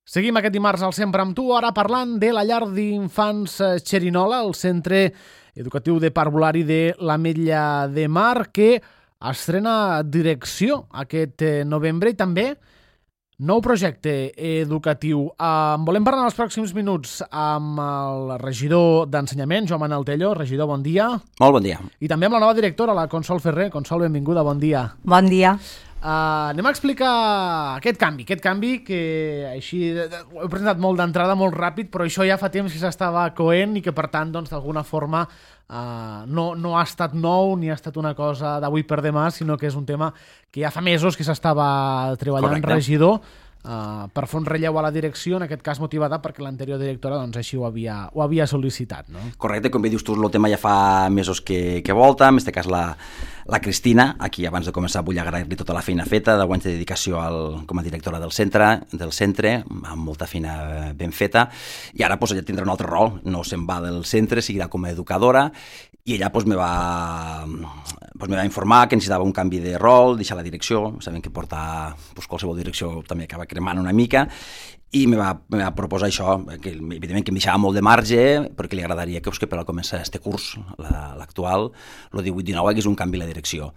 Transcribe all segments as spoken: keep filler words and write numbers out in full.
Seguim aquest dimarts al Sempre amb tu, ara parlant de la llar d'infants Xerinola, el centre educatiu de parvulari de l'Ametlla de Mar, que estrena direcció aquest novembre i també nou projecte educatiu. En volem parlar en els pròxims minuts amb el regidor d'Ensenyament, Joan Manel Tello. Regidor, bon dia. Molt bon dia. I també amb la nova directora, la Consol Ferrer. Consol, benvinguda, bon dia. Bon dia. Uh, anem a explicar aquest canvi, aquest canvi que així ho he presentat molt d'entrada, molt ràpid, però això ja fa temps que s'estava coent i que per tant doncs d'alguna forma uh, no, no ha estat nou ni ha estat una cosa d'avui per demà, sinó que és un tema que ja fa mesos que s'estava treballant. Correcte. Regidor, uh, per fer un relleu a la direcció, en aquest cas motivada perquè l'anterior directora doncs així ho havia, ho havia sol·licitat, no? Correcte, com bé dius tu, el tema ja fa mesos que, que volta, en aquest cas la La Cristina, aquí abans de començar vull agrair-li tota la feina feta, deu anys de dedicació al, com a directora del centre, del centre, amb molta feina ben feta, i ara pues, ella tindrà un altre rol, no se'n va del centre, seguirà com a educadora, i ella pues, me, va, pues, me va informar que necessitava un canvi de rol, deixar la direcció, sabem que portar pues, qualsevol direcció també acaba cremant una mica, i me va, me va proposar això, que evidentment que em deixava molt de marge, perquè li agradaria que, que per al començar este curs, l'actual, el divuit dinou, hagués un canvi a la direcció.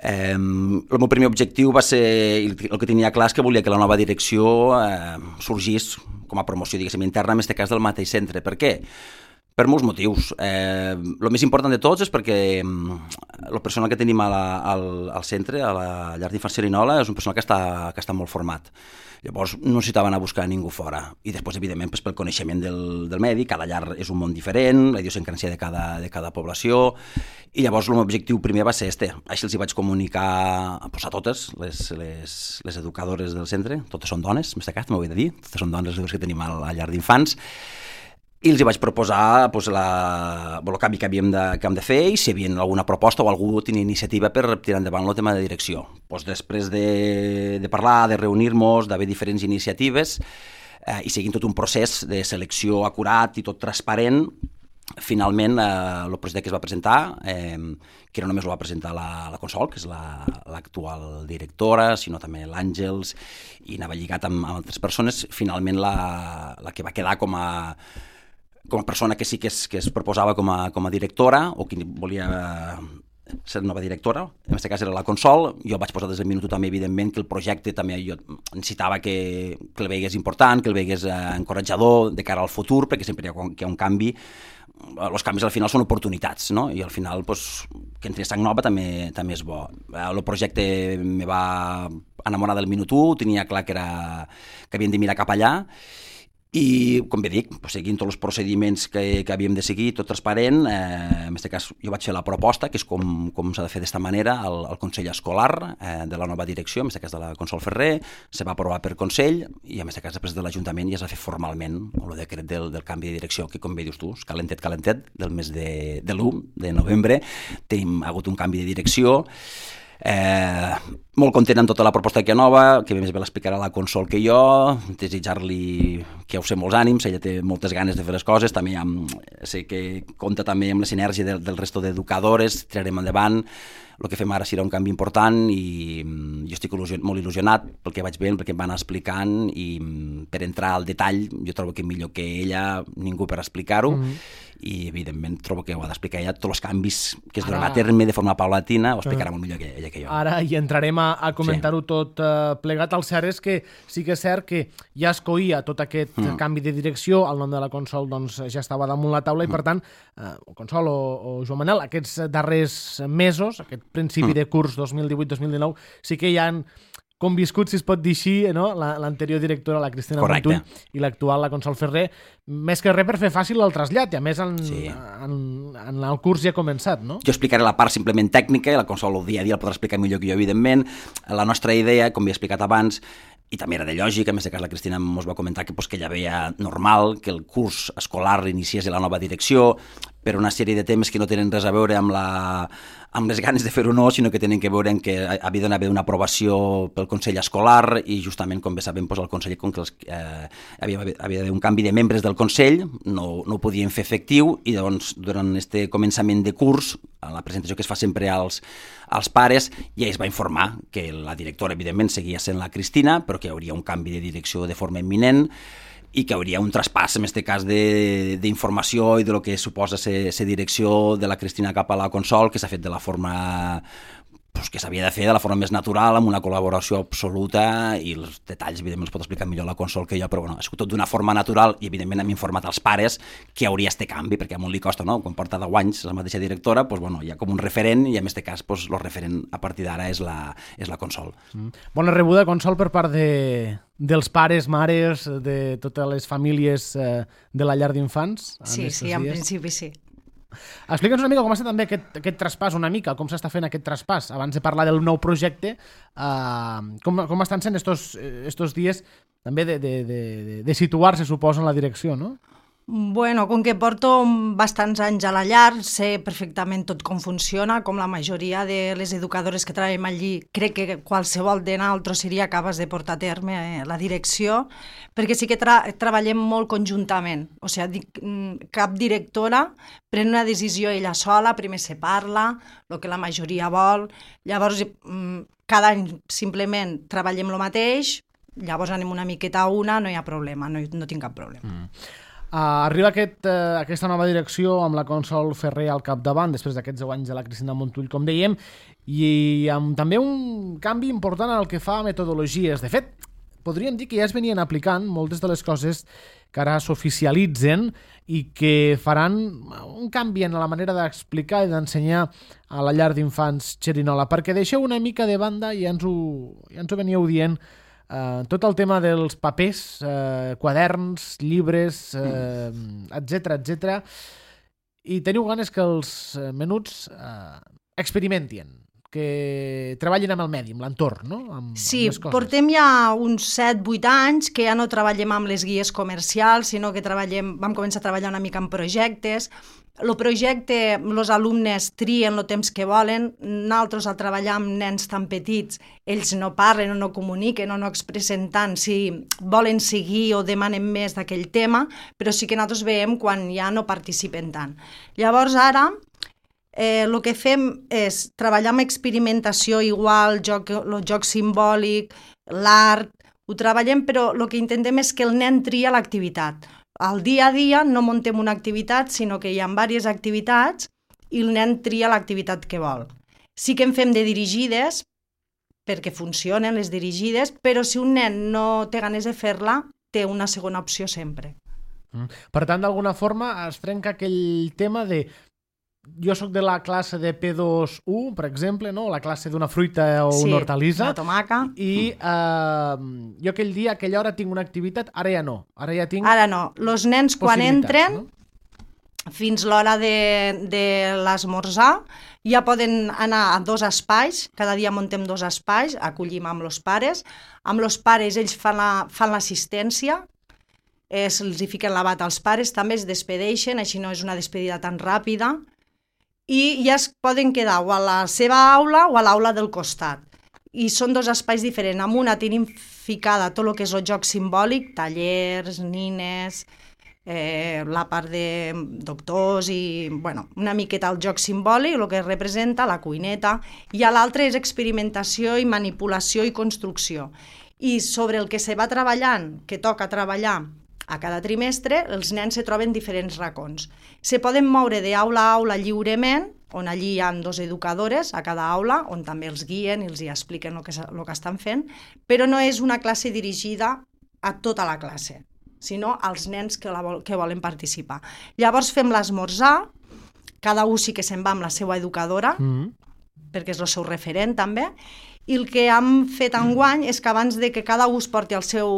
Eh, el meu primer objectiu va ser, el que tenia clar és que volia que la nova direcció eh, sorgís com a promoció, diguéssim, interna, en aquest cas del mateix centre. Per què? Per molts motius. Eh, el més important de tots és perquè el personal que tenim a la, al, al centre, a la llar d'infants Xerinola, és un personal que està, que està molt format. Llavors no necessitava anar a buscar ningú fora. I després, evidentment, pues, pel coneixement del, del medi, cada llar és un món diferent, la idiosincràsia de cada, de cada població, i llavors el meu objectiu primer va ser este. Així els hi vaig comunicar pues, a totes les, les, les educadores del centre, totes són dones, en aquest cas, m'ho he de dir, totes són dones les que tenim a la llar d'infants, i els hi vaig proposar pues, la, el canvi que havíem de, que hem de fer i si hi havia alguna proposta o algú tenia iniciativa per tirar endavant el tema de direcció. Pues, després de, de parlar, de reunir-nos, d'haver diferents iniciatives eh, i seguint tot un procés de selecció acurat i tot transparent, finalment eh, el projecte que es va presentar, eh, que no només el va presentar la, la Consol, que és l'actual la, directora, sinó també l'Àngels, i anava lligat amb, amb altres persones, finalment la, la que va quedar com a com a persona que sí que es, que es proposava com a, com a directora o que volia ser nova directora, en aquest cas era la Consol. Jo vaig posar des del minut també, evidentment, que el projecte també jo necessitava que, que el veigués important, que el veigués eh, encoratjador de cara al futur, perquè sempre hi ha, hi ha un canvi. Els canvis al final són oportunitats, no? I al final pues, que entri sang nova també, també és bo. El projecte me va enamorar del minut u, tenia clar que, era, que havíem de mirar cap allà, i, com bé dic, seguint tots els procediments que, que havíem de seguir, tot transparent, eh, en aquest cas jo vaig fer la proposta, que és com, com s'ha de fer d'esta manera, al, al Consell Escolar eh, de la nova direcció, en aquest cas de la Consol Ferrer, se va aprovar per Consell, i en aquest cas després de l'Ajuntament ja s'ha fet formalment el decret del, del canvi de direcció, que com bé dius tu, és calentet, calentet, del mes de, de l'u de novembre, tenim hagut un canvi de direcció. Eh, molt content amb tota la proposta que hi ha nova, que més bé l'explicarà la Consol que jo, desitjar-li que ho sé molts ànims, ella té moltes ganes de fer les coses, també amb, sé que compta també amb la sinergia del, del resto d'educadores, tirarem endavant, el que fem ara serà un canvi important i jo estic il·lusion, molt il·lusionat pel que vaig veient, perquè em van explicant i per entrar al detall jo trobo que millor que ella ningú per explicar-ho. Mm-hmm. I evidentment trobo que ho ha d'explicar ella, tots els canvis que es duran a terme de forma paulatina, ho explicarà molt millor que ella que jo. Ara hi entrarem a, a comentar-ho sí. tot uh, plegat. El cert és que sí que és cert que ja es coïa tot aquest mm. canvi de direcció, el nom de la Consol doncs, ja estava damunt la taula i mm. per tant, uh, o Consol o, o Joan Manel, aquests darrers mesos, aquest principi mm. de curs dos mil divuit dos mil dinou, sí que hi han conviscut, si es pot dir així, no? L'anterior directora, la Cristina Montull, i l'actual, la Consol Ferrer, més que res per fer fàcil el trasllat, i a més en, sí. en, en el curs ja ha començat, no? Jo explicaré la part simplement tècnica, i la Consol el dia a dia el podrà explicar millor que jo, evidentment. La nostra idea, com he explicat abans, i també era de lògica, en aquest cas la Cristina ens va comentar que, pues, que ella veia normal que el curs escolar iniciés a la nova direcció per una sèrie de temes que no tenen res a veure amb la, amb les ganes de fer-ho no, sinó que tenen que veure que havia d'haver una aprovació pel Consell Escolar i justament, com bé sabem, doncs, el Consell, com que els, eh, havia, havia d'haver un canvi de membres del Consell, no, no ho podien fer efectiu i doncs durant este començament de curs, a la presentació que es fa sempre als, als pares, ja es va informar que la directora, evidentment, seguia sent la Cristina, però que hi hauria un canvi de direcció de forma imminent i que hauria un traspàs, en aquest cas, d'informació i de lo que suposa ser direcció de la Cristina cap a la Consol, que s'ha fet de la forma pues, que s'havia de fer de la forma més natural, amb una col·laboració absoluta, i els detalls, evidentment, els pot explicar millor la Consol que jo, però bueno, ha sigut tot d'una forma natural i, evidentment, hem informat als pares que hauria este canvi, perquè a un li costa, no? Quan porta deu anys la mateixa directora, pues, bueno, hi ha com un referent, i en aquest cas, pues, el referent a partir d'ara és la, és la Consol. Mm. Bona rebuda, Consol, per part de... dels pares, mares, de totes les famílies eh, de la llar d'infants? Sí, sí, en principi sí. Explica'ns una mica com està també aquest, aquest traspàs, una mica, com s'està fent aquest traspàs. Abans de parlar del nou projecte, eh, com, com estan sent estos, estos dies també de, de, de, de situar-se, suposo, en la direcció, no? Bueno, com que porto bastants anys a la llar, sé perfectament tot com funciona, com la majoria de les educadores que treballem allí, crec que qualsevol de nosaltres seria capaç de portar a terme eh, la direcció, perquè sí que tra treballem molt conjuntament, o sigui, cap directora pren una decisió ella sola, primer se parla, el que la majoria vol, llavors cada any simplement treballem el mateix, llavors anem una miqueta a una, no hi ha problema, no, no tinc cap problema. Mm. Uh, arriba aquest, uh, aquesta nova direcció amb la Consol Ferrer al capdavant, després d'aquests deu anys de la Cristina Montull, com dèiem, i amb també un canvi important en el que fa a metodologies. De fet, podríem dir que ja es venien aplicant moltes de les coses que ara s'oficialitzen i que faran un canvi en la manera d'explicar i d'ensenyar a la llar d'infants Xerinola, perquè deixeu una mica de banda, i ja ens ho, ja ens ho veníeu dient, Uh, tot el tema dels papers, uh, quaderns, llibres, uh, etcètera, etcètera, i teniu ganes que els menuts uh, experimentin, que treballin amb el medi, amb l'entorn, no? Amb, sí, amb les coses. Portem ja uns set vuit anys que ja no treballem amb les guies comercials, sinó que treballem, vam començar a treballar una mica en projectes. El projecte, els alumnes trien el temps que volen, nosaltres al treballar amb nens tan petits, ells no parlen o no comuniquen o no expressen tant si volen seguir o demanen més d'aquell tema, però sí que nosaltres veiem quan ja no participen tant. Llavors ara eh, el que fem és treballar amb experimentació igual, joc, el joc simbòlic, l'art, ho treballem, però el que intentem és que el nen tria l'activitat. Al dia a dia no muntem una activitat, sinó que hi ha diverses activitats i el nen tria l'activitat que vol. Sí que en fem de dirigides, perquè funcionen les dirigides, però si un nen no té ganes de fer-la, té una segona opció sempre. Mm. Per tant, d'alguna forma es trenca aquell tema de jo sóc de la classe de P dos u, per exemple, no? La classe d'una fruita o sí, una hortalissa. una tomaca. I eh, jo aquell dia, aquella hora tinc una activitat, ara ja no. Ara ja tinc Ara no. Els nens quan entren, no? Fins l'hora de, de l'esmorzar, ja poden anar a dos espais, cada dia muntem dos espais, acollim amb els pares. Amb els pares ells fan l'assistència, la, se'ls hi fiquen la bata als pares, també es despedeixen, així no és una despedida tan ràpida, i ja es poden quedar o a la seva aula o a l'aula del costat. I són dos espais diferents. Amb una tenim ficada tot el que és el joc simbòlic, tallers, nines, eh, la part de doctors i bueno, una miqueta el joc simbòlic, el que representa, la cuineta, i a l'altre és experimentació i manipulació i construcció. I sobre el que se va treballant, que toca treballar a cada trimestre, els nens se troben diferents racons. Se poden moure d'aula a aula lliurement, on allí hi ha dos educadores a cada aula, on també els guien i els hi expliquen el que, el que estan fent, però no és una classe dirigida a tota la classe, sinó als nens que, la vol, que volen participar. Llavors fem l'esmorzar, cada un sí que se'n va amb la seva educadora, mm-hmm. perquè és el seu referent també, i el que hem fet enguany és que abans de que cada un es porti el seu,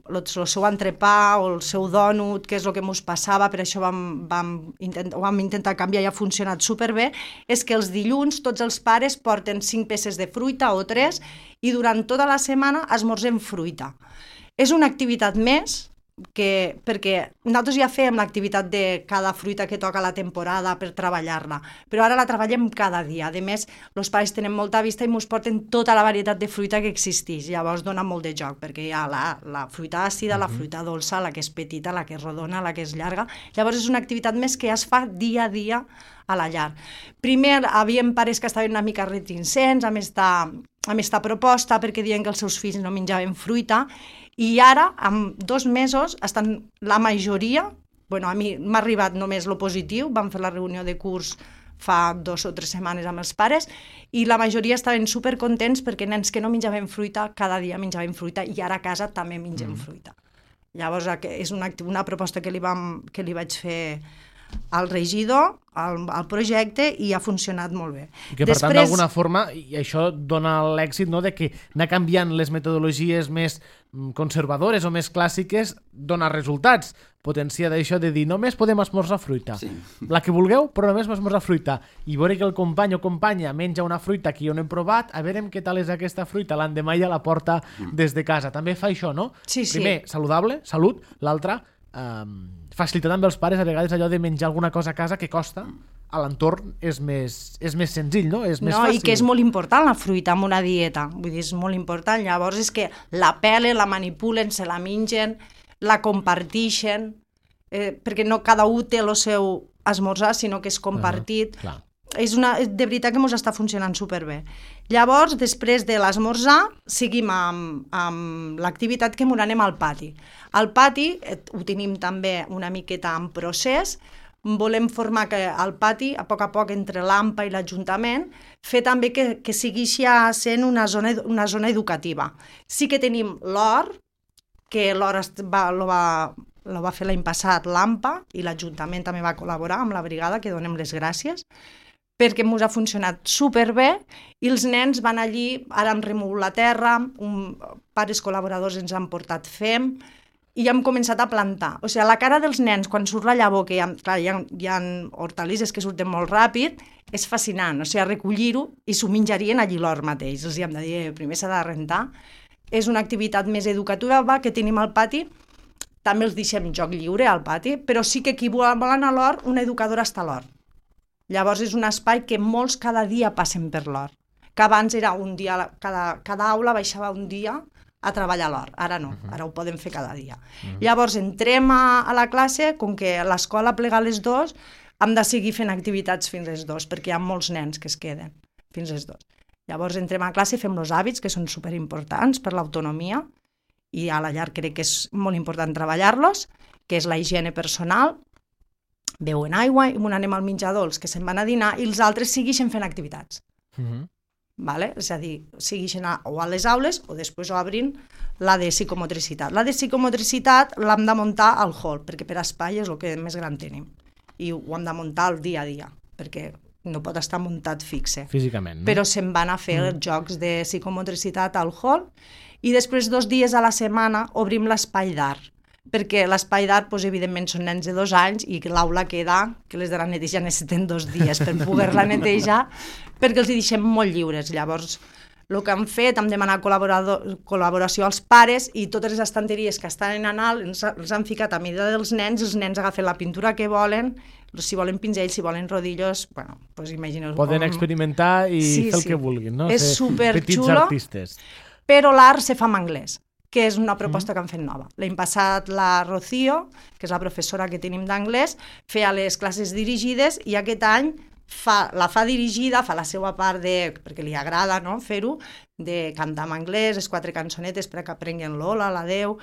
el, el seu entrepà o el seu dònut, que és el que ens passava, per això vam, vam, intent, vam intentar canviar i ha funcionat superbé, és que els dilluns tots els pares porten cinc peces de fruita o tres i durant tota la setmana esmorzem fruita. És una activitat més que, perquè nosaltres ja fem l'activitat de cada fruita que toca la temporada per treballar-la, però ara la treballem cada dia. A més, els pares tenen molta vista i ens porten tota la varietat de fruita que existeix. Llavors dona molt de joc, perquè hi ha la, la fruita àcida, la fruita dolça, la que és petita, la que és rodona, la que és llarga. Llavors és una activitat més que es fa dia a dia a la llar. Primer havíem pares que estaven una mica reticents amb esta, amb esta proposta perquè diuen que els seus fills no menjaven fruita, i ara, en dos mesos, estan la majoria, bueno, a mi m'ha arribat només lo positiu, vam fer la reunió de curs fa dos o tres setmanes amb els pares, i la majoria estaven supercontents perquè nens que no menjaven fruita, cada dia menjaven fruita, i ara a casa també mengem mm. fruita. Llavors, és una, una proposta que li, vam, que li vaig fer al regidor, al, al projecte, i ha funcionat molt bé. I que, per Després... tant, d'alguna forma, i això dona l'èxit, no?, de que anar canviant les metodologies més conservadores o més clàssiques dona resultats. Potencia d'això de dir, només podem esmorzar fruita. Sí. La que vulgueu, però només esmorzar fruita. I veure que el company o companya menja una fruita que jo no hem provat, a veure què tal és aquesta fruita, l'endemà ja la porta des de casa. També fa això, no? Sí, sí. Primer, saludable, salut. L'altre, eh, facilitar també als pares a vegades allò de menjar alguna cosa a casa que costa, a l'entorn és més, és més senzill, no? És més no, fàcil. I que és molt important la fruita en una dieta, vull dir, és molt important. Llavors és que la pelen, la manipulen, se la mengen, la compartixen, eh, perquè no cada un té el seu esmorzar, sinó que és compartit. Uh-huh, és una, de veritat que ens està funcionant superbé. Llavors, després de l'esmorzar, seguim amb, amb l'activitat que ens anem al pati. Al pati eh, ho tenim també una miqueta en procés. Volem formar que al pati, a poc a poc, entre l'AMPA i l'Ajuntament, fer també que, que sigui sent una zona, una zona educativa. Sí que tenim l'hort, que l'hort va, lo, va, lo va fer l'any passat l'AMPA, i l'Ajuntament també va col·laborar amb la brigada, que donem les gràcies, perquè ens ha funcionat superbé, i els nens van allí, ara hem remogut la terra, un, pares col·laboradors ens han portat fem, i hem començat a plantar. O sigui, la cara dels nens, quan surt la llavor, que hi ha, clar, hi ha, hi ha hortalisses que surten molt ràpid, és fascinant. O sigui, recollir-ho i s'ho menjarien allí l'hort mateix. Els hi hem de dir, primer s'ha de rentar. És una activitat més educativa que tenim al pati. També els deixem joc lliure al pati, però sí que qui vol anar a l'hort, una educadora està a l'hort. Llavors és un espai que molts cada dia passen per l'hort. Que abans era un dia, cada, cada aula baixava un dia a treballar a l'hort. Ara no, ara ho podem fer cada dia. Uh-huh. Llavors entrem a, a la classe, com que l'escola plega a les dues, hem de seguir fent activitats fins les dues, perquè hi ha molts nens que es queden fins les dues. Llavors entrem a classe i fem els hàbits, que són superimportants per l'autonomia, i a la llar crec que és molt important treballar-los, que és la higiene personal, beuen aigua, i anem al menjador, els que se'n van a dinar, i els altres segueixen fent activitats. Uh-huh. Vale? És a dir, segueixen a, o a les aules o després ho obrin la de psicomotricitat. La de psicomotricitat l'hem de muntar al hall, perquè per espai és el que més gran tenim. I ho hem de muntar el dia a dia, perquè no pot estar muntat fixe. Físicament, no? Però se'n van a fer mm. els jocs de psicomotricitat al hall, i després dos dies a la setmana obrim l'espai d'art, perquè l'espai d'art, doncs, evidentment, són nens de dos anys i que l'aula queda, que les de la neteja necessiten dos dies per poder-la netejar, perquè els hi deixem molt lliures. Llavors, el que han fet, hem demanat col·laboració als pares, i totes les estanteries que estan en alt els, els han ficat a mida dels nens, els nens agafen la pintura que volen, si volen pinzells, si volen rodillos, bueno, doncs imagineu... Poden com... experimentar i sí, fer el sí. que vulguin, no? És superxulo, petits artistes. Però l'art se fa en anglès, que és una proposta mm. que han fet nova. L'any passat la Rocío, que és la professora que tenim d'anglès, feia les classes dirigides, i aquest any fa, la fa dirigida, fa la seva part de, perquè li agrada, no?, fer-ho, de cantar en anglès, les quatre cançonetes per que aprenguin l'hola, l'adeu,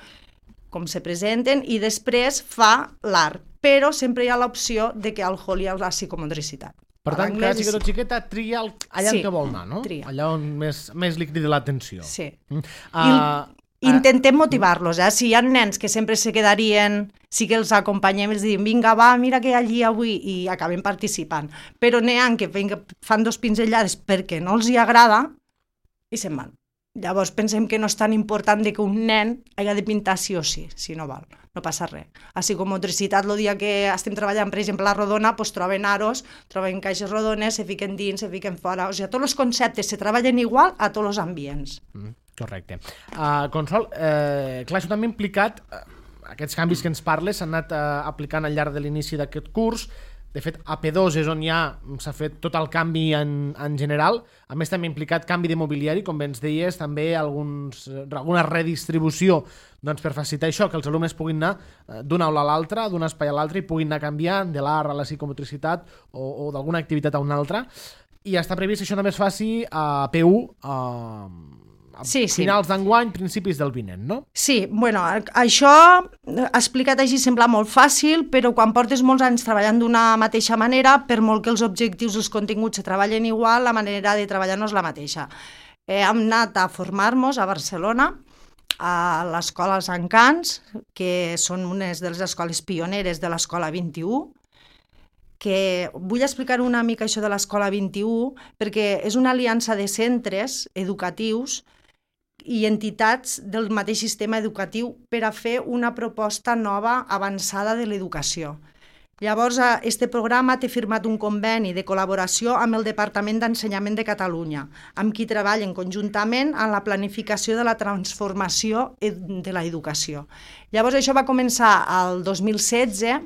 com se presenten, i després fa l'art. Però sempre hi ha l'opció de que al hall hi ha la psicomotricitat. Per tant, cada xiquet o xiqueta tria allà sí, on que vol anar, no? Tria. Allà on més, més li crida l'atenció. Sí. Mm. Uh, I intentem motivar-los, eh? Si hi ha nens que sempre se quedarien, sí que els acompanyem i els diem, vinga, va, mira que hi ha allí avui, i acabem participant. Però n'hi ha que vinga, fan dos pinzellades perquè no els hi agrada i se'n van. Llavors pensem que no és tan important de que un nen hagi de pintar sí o sí, si no val, no passa res. A psicomotricitat, el dia que estem treballant, per exemple, la rodona, doncs troben aros, troben caixes rodones, se fiquen dins, se fiquen fora, o sigui, tots els conceptes se treballen igual a tots els ambients. Mm, correcte. Uh, Consol, eh, clar, això també ha implicat uh, aquests canvis que ens parles s'han anat eh, aplicant al llarg de l'inici d'aquest curs. De fet, a P dos és on ja s'ha fet tot el canvi en, en general. A més, també ha implicat canvi de mobiliari, com bé ens deies, també alguns, alguna redistribució doncs, per facilitar això, que els alumnes puguin anar d'una aula a l'altra, d'un espai a l'altre, i puguin anar canviant de l'art a la psicomotricitat o, o d'alguna activitat a una altra. I està previst que això només faci a P u a, a sí, sí. finals d'enguany, principis del vinent, no? Sí, bueno, això explicat així sembla molt fàcil, però quan portes molts anys treballant d'una mateixa manera, per molt que els objectius i els continguts se treballen igual, la manera de treballar no és la mateixa. Eh, hem anat a formar-nos a Barcelona, a l'escola Els Encants, que són unes de les escoles pioneres de l'escola vint-i-u, que vull explicar una mica això de l'escola vint-i-u, perquè és una aliança de centres educatius i entitats del mateix sistema educatiu per a fer una proposta nova avançada de l'educació. Llavors, este programa té firmat un conveni de col·laboració amb el Departament d'Ensenyament de Catalunya, amb qui treballen conjuntament en la planificació de la transformació de l'educació. Llavors, això va començar el dos mil setze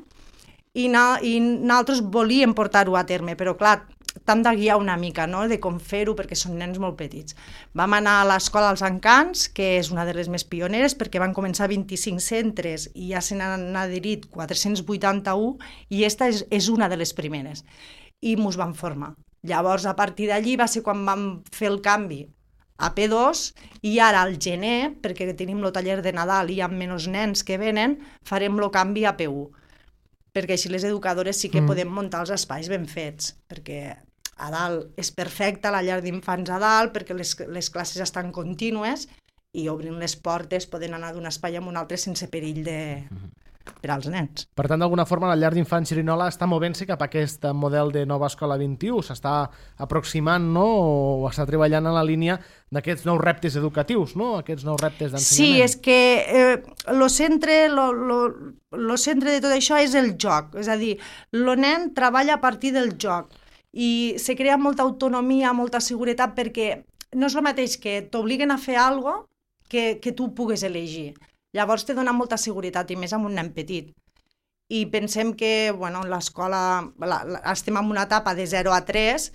i, na, i nosaltres volíem portar-ho a terme, però clar, t'hem de guiar una mica, no?, de com fer-ho, perquè són nens molt petits. Vam anar a l'escola Els Encants, que és una de les més pioneres, perquè van començar vint-i-cinc centres i ja se n'han adherit quatre-cents vuitanta-u, i esta és, és una de les primeres. I mos van formar. Llavors, a partir d'allí va ser quan vam fer el canvi a P dos, i ara al gener, perquè tenim el taller de Nadal i hi ha menys nens que venen, farem el canvi a P u, perquè així les educadores sí que mm. podem muntar els espais ben fets, perquè a dalt és perfecta la llar d'infants a dalt, perquè les, les classes estan contínues i obrint les portes poden anar d'un espai a un altre sense perill de... per als nens. Per tant, d'alguna forma, la llar d'infants Xerinola està movent-se cap a aquest model de nova escola vint-i-u, s'està aproximant, no?, o està treballant en la línia d'aquests nous reptes educatius, no?, aquests nous reptes d'ensenyament. Sí, és que eh, lo centre, lo, lo, lo centre de tot això és el joc, és a dir, el nen treballa a partir del joc i se crea molta autonomia, molta seguretat, perquè no és el mateix que t'obliguen a fer alguna cosa que, que tu pugues elegir. Llavors te dona molta seguretat, i més amb un nen petit. I pensem que, bueno, l'escola, la, la, estem en una etapa de zero a tres,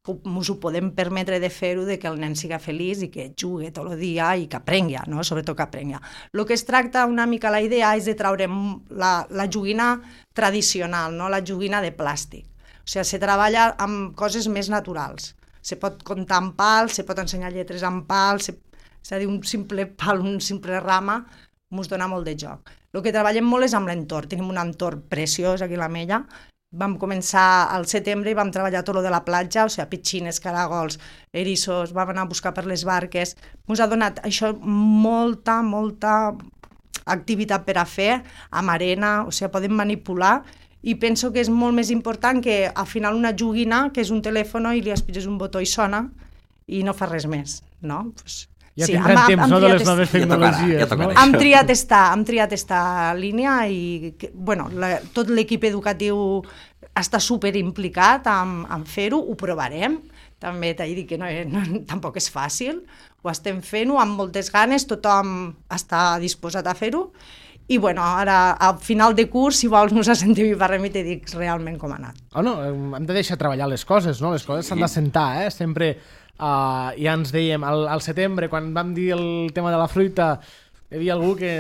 que ens ho podem permetre de fer-ho, de que el nen siga feliç i que jugui tot el dia i que aprengui, no?, sobretot que aprengui. El que es tracta una mica, la idea és de treure la, la joguina tradicional, no?, la joguina de plàstic. O sigui, se treballa amb coses més naturals. Se pot comptar amb pals, se pot ensenyar lletres amb pals, se, és a dir, un simple pal, un simple rama, ens dona molt de joc. El que treballem molt és amb l'entorn. Tenim un entorn preciós aquí a l'Ametlla. Vam començar al setembre i vam treballar tot lo de la platja, o sigui, petxines, caragols, erissos, vam anar a buscar per les barques. Ens ha donat això molta, molta activitat per a fer, amb arena, o sigui, podem manipular, i penso que és molt més important que al final una joguina, que és un telèfon i li aspires un botó i sona, i no fa res més, no? Pues, ja sí, tindran hem, temps, hem no?, de les est... noves tecnologies. Ja tocarà, ja no? Hem triat esta, hem triat esta línia i, bueno, la, tot l'equip educatiu està super implicat en, en fer-ho, ho provarem. També t'he dit que no, no, tampoc és fàcil, ho estem fent-ho amb moltes ganes, tothom està disposat a fer-ho. I, bueno, ara, al final de curs, si vols, ens sentim i parlem i te dic realment com ha anat. Oh, no, hem de deixar treballar les coses, no? Les coses s'han de sentar, eh? Sempre, uh, ja ens dèiem, al, al setembre, quan vam dir el tema de la fruita, hi havia algú que...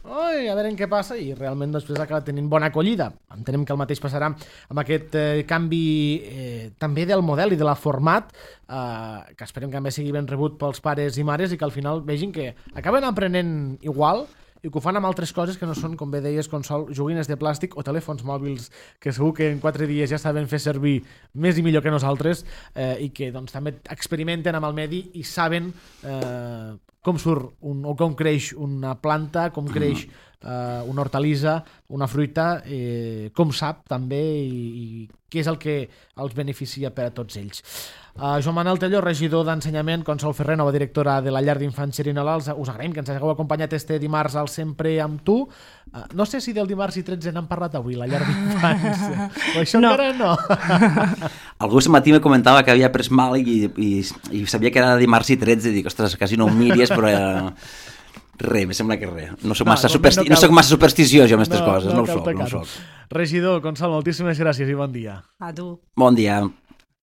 Oi, a veure què passa, i realment després acaba tenint bona acollida. Entenem que el mateix passarà amb aquest eh, canvi eh, també del model i de la format, eh, que esperem que també sigui ben rebut pels pares i mares i que al final vegin que acaben aprenent igual i que ho fan amb altres coses que no són, com bé deies, consol, joguines de plàstic o telèfons mòbils que segur que en quatre dies ja saben fer servir més i millor que nosaltres eh, i que doncs, també experimenten amb el medi i saben eh, com surt un, o com creix una planta, com creix eh, una hortalissa, una fruita, eh, com sap també i, i què és el que els beneficia per a tots ells. Uh, Joan Manuel Tello, regidor d'Ensenyament, Consol Ferrer, nova directora de la llar d'infants Xerinola, us agraïm que ens hagueu acompanyat este dimarts al Sempre amb tu. Uh, no sé si del dimarts i tretze n'hem parlat avui, la llar d'infants. O això no. Encara no. Algú aquest matí me comentava que havia pres mal i, i, i sabia que era dimarts i tretze, i dic, ostres, quasi no ho miries, però... Eh... Re, me sembla que re. No soc massa, no, supersti no, no soc massa supersticiós jo amb aquestes no, coses, no, no ho soc, no ho soc. Regidor, Consol, moltíssimes gràcies i bon dia. A tu. Bon dia.